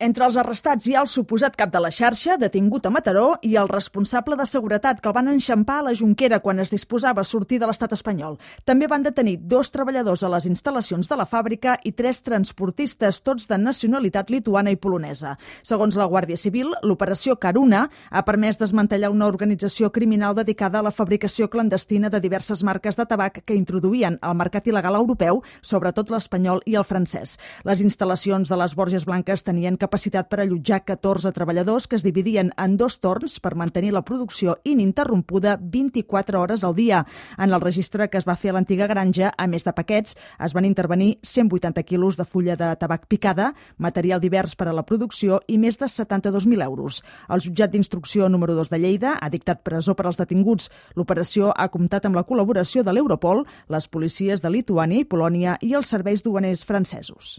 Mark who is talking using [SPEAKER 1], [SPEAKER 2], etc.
[SPEAKER 1] Entre els arrestats hi ha el suposat cap de la xarxa, detingut a Mataró, i el responsable de seguretat que el van enxampar a la Jonquera quan es disposava a sortir de l'estat espanyol. També van detenir 2 treballadors a les instal·lacions de la fàbrica i 3 transportistes, tots de nacionalitat lituana i polonesa. Segons la Guàrdia Civil, l'operació Caruna ha permès desmantellar una organització criminal dedicada a la fabricació clandestina de diverses marques de tabac que introduïen al mercat il·legal europeu, sobretot l'espanyol i el francès. Les instal·lacions de les Borges Blanques tenien capacitat per allotjar 14 treballadors que es dividien en 2 torns per mantenir la producció ininterrompuda 24 hores al dia. En el registre que es va fer a l'antiga granja, a més de paquets, es van intervenir 180 quilos de fulla de tabac picada, material divers per a la producció i més de 72.000 euros. El jutjat d'instrucció número 2 de Lleida ha dictat presó per als detinguts. L'operació ha comptat amb la col·laboració de l'Europol, les policies de Lituània i Polònia i els serveis duaners francesos.